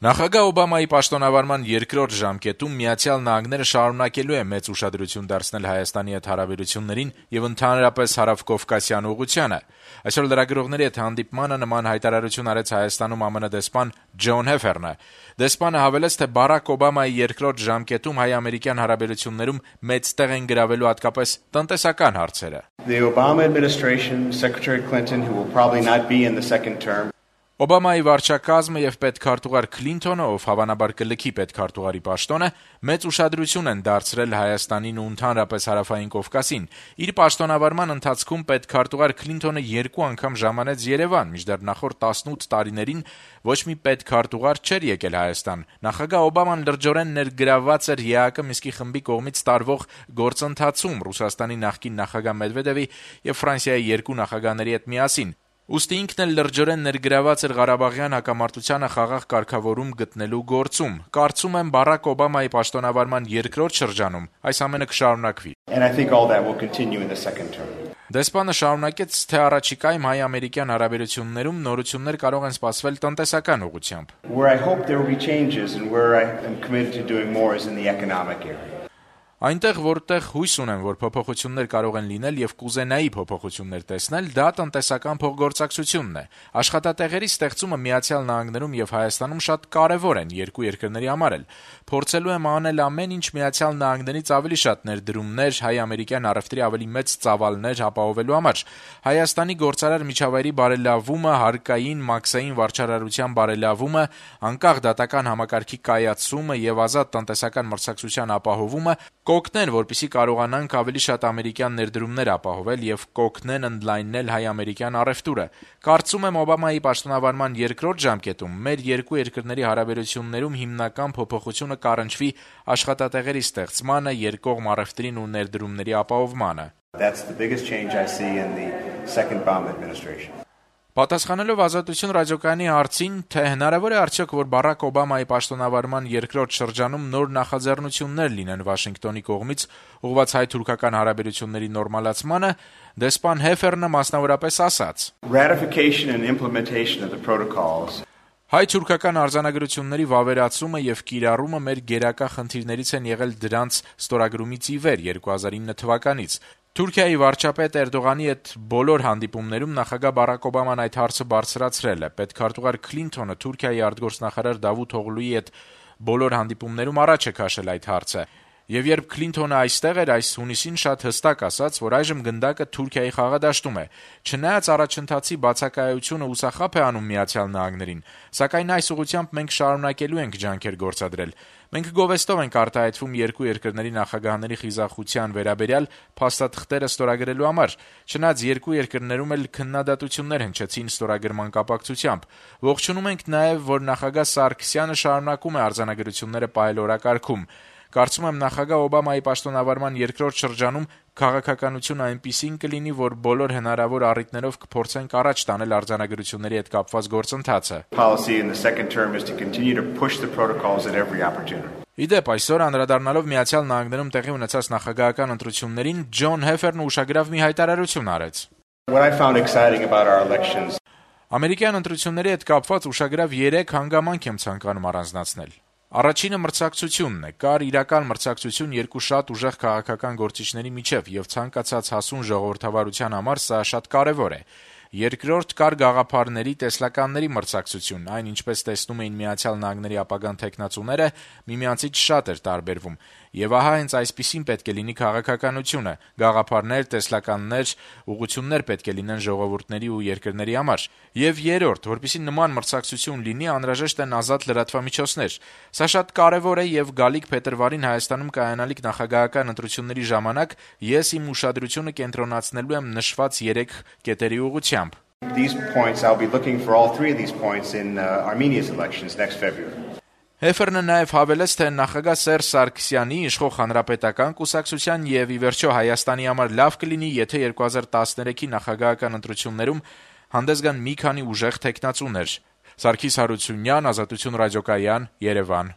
Նախագահ Օբամայի պաշտոնավարման երկրորդ ժամկետում Միացյալ Նահանգները շարունակելու է մեծ ուշադրություն դարձնել Հայաստանի հետ հարաբերություններին եւ ընդհանրապես հարավկովկասյան ուղղությանը։ Այսօր լրագրողների հետ հանդիպմանը նման հայտարարություն արեց Հայաստանում ԱՄՆ դեսպան Ջոն Հեֆերնը։ Դեսպանը հավելեց, թե Բարակ Օբամայի երկրորդ ժամկետում հայ-ամերիկյան հարաբերություններում մեծ տեղ են գրավելու հատկապես տնտեսական հարցերը։ The Obama administration, Secretary Clinton, who will probably not be in the second term. Օբամայի վարչակազմը եւ պետքարտուղար Քլինթոնը, ով հավանաբար կլքի պետքարտուղարի պաշտոնը, մեծ ուշադրություն են դարձրել Հայաստանին ու ընդհանրապես Հարավային Կովկասին։ Իր պաշտոնավարման ընթացքում պետքարտուղար Քլինթոնը 2 անգամ ժամանեց Երևան, մինչդեռ նախորդ 18 տարիներին ոչ մի պետքարտուղար չէր եկել Հայաստան։ Նախագահ Օբաման լրջորեն ներգրավված էր ԵԱԿ Մինսկի խմբի կողմից տարվող գործընթացում Ռուսաստանի նախկին նախագահ Մեդվեդևի եւ Ֆրանսիայի 2 նախագահների հետ միասին։ Ուստի ինքն էլ լրջորեն ներգրաված էր Ղարաբաղյան հակամարտությանը խաղաղ կարգավորում գտնելու գործում։ Կարծում եմ Բարակ Օբամայի պաշտոնավարման երկրորդ շրջանում այս ամենը կշարունակվի։ And I think all that will continue in the second term. Դեսպանը շարունակեց, թե առաջիկայում հայ-ամերիկյան հարաբերություններում նորություններ կարող են սպասվել տնտեսական ուղղությամբ։ Where I hope there will be changes and where I am committed to doing more is in the economic area. Այնտեղ, որտեղ հույս ունեմ, որ փոփոխություններ կարող են լինել եւ կուզենայի փոփոխություններ տեսնել, դա տնտեսական փոխգործակցությունն է։ Աշխատատեղերի ստեղծումը Միացյալ Նահանգներում եւ Հայաստանում շատ կարեւոր են երկու երկրների համար էլ։ Փորձելու եմ անել ամեն ինչ Միացյալ Նահանգներից ավելի շատ ներդրումներ, հայ-ամերիկյան առևտրի ավելի մեծ ծավալներ ապահովելու համար։ Հայաստանի գործարար միջավայրի բարելավումը, հարկային, մաքսային վարչարարության բարելավումը, անկախ դատական համակարգի կայացումը եւ ազատ տնտեսական մրցակցության ապահովումը կօգնեն, որպեսզի կարողանանք ավելի շատ ամերիկյան ներդրումներ ապահովել եւ կօգնեն ընդլայնել հայ-ամերիկյան առևտուրը։ Կարծում եմ Օբամայի պաշտոնավարման երկրորդ ժամկետում մեր երկու երկրների հարաբերություններում հիմնական փոփոխությունը կառնչվի աշխատատեղերի ստեղծմանը, երկկողմ առևտրին ու ներդրումների ապահովմանը։ That's the biggest change I see in the second Obama administration. Պատասխանելով Ազատություն ռադիոկայանի հարցին, թե հնարավոր է արդյոք, որ Բարակ Օբամայի պաշտոնավարման երկրորդ շրջանում նոր նախաձեռնություններ լինեն Վաշինգտոնի կողմից ուղղված հայ-թուրքական հարաբերությունների նորմալացմանը, դեսպան Հեֆերնը մասնավորապես ասաց. Ratification and implementation of the protocols. Հայ-թուրքական արձանագրությունների վավերացումը եւ կիրառումը մեր գերակա խնդիրներից են եղել դրանց ստորագրումից ի վեր 2009 թվականից։ Թուրքիայի վարչապետ Էրդողանի հետ բոլոր հանդիպումներում նախագահ Բարակ Օբաման այդ հարցը բարձրացրել է։ Պետքարտուղար Քլինթոնը Թուրքիայի արտգործնախարար Դավութ Օղլուի հետ բոլոր հանդիպումներում առաջ է քաշել այդ հարցը։ Եվ երբ Քլինթոնը այստեղ էր այս հունիսին, շատ հստակ ասաց, որ այժմ գնդակը Թուրքիայի խաղադաշտում է։ Չնայած առաջընթացի բացակայությունը հուսախաբ է անում Միացյալ Նահանգներին, սակայն այս ուղղությամբ մենք շարունակելու ենք ջանքեր գործադրել։ Մենք գովեստով ենք արտահայտվում երկու երկրների նախագահների խիզախության վերաբերյալ փաստաթղթերը ստորագրելու համար։ Չնայած երկու երկրներում էլ քննադատություններ հնչեցին ստորագրման կապակցությամբ։ Ողջունում ենք նաև, որ նախագահ Սարգսյանը շարունակում է արձանագրությունները պահել օրակարգում։ Կարծում եմ նախագահ Օբամայի պաշտոնավարման երկրորդ շրջանում քաղաքականությունը այնպիսին կլինի, որ բոլոր հնարավոր առիթներով կփորձենք առաջ տանել արձանագրությունների հետ կապված գործընթացը։ Policy in the second term is to continue to push the protocols at every opportunity. Իդեպ այսօր անդրադառնալով Միացյալ Նահանգներում տեղի ունեցած նախագահական ընտրություններին, Ջոն Հեֆերն ուշագրավ մի հայտարարություն արեց։ What I found exciting about our elections. Ամերիկյան ընտրությունների հետ կապված ուշագրավ 3 հանգամանք եմ ցանկանում առանձնացնել։ Առաջինը մրցակցությունն է։ Կար իրական մրցակցություն երկու շատ ուժեղ քաղաքական գործիչների միջև եւ ցանկացած հասուն ժողովրդավարության համար սա շատ կարեւոր է։ Երկրորդ կար գաղափարների, տեսլականների մրցակցություն, այն ինչպես տեսնում էին Միացյալ Նահանգների ապագան թեկնածուները, միմյանցից շատ էր տարբերվում։ Եվ ահա հենց այսպիսին պետք է լինի քաղաքականությունը, գաղափարներ, տեսլականներ, ուղղություններ պետք է լինեն ժողովուրդների ու երկրների համար։ Եվ երրորդ, որպեսզի նման մրցակցություն լինի, անհրաժեշտ են ազատ լրատվամիջոցներ։ Սա շատ կարևոր է եւ գալիք փետրվարին Հայաստանում կայանալիք նախագահական ընտրությունների ժամանակ ես իմ ուշադրությունը կենտրոնացնելու եմ նշված 3 կետերի ուղղությամբ։ These points, I'll be looking for all 3 of these points in Armenia's elections next February. Հեֆերնը նաև հավելեց, թե նախագահ Սերժ Սարգսյանի իշխող հանրապետական կուսակցության եւ ի վերջո Հայաստանի համար լավ կլինի, եթե 2013-ի նախագահական ընտրություններում հանդես գան մի քանի ուժեղ թեկնածուներ։ Սարգիս Հարությունյան, Ազատություն ռադիոկայան, Երևան։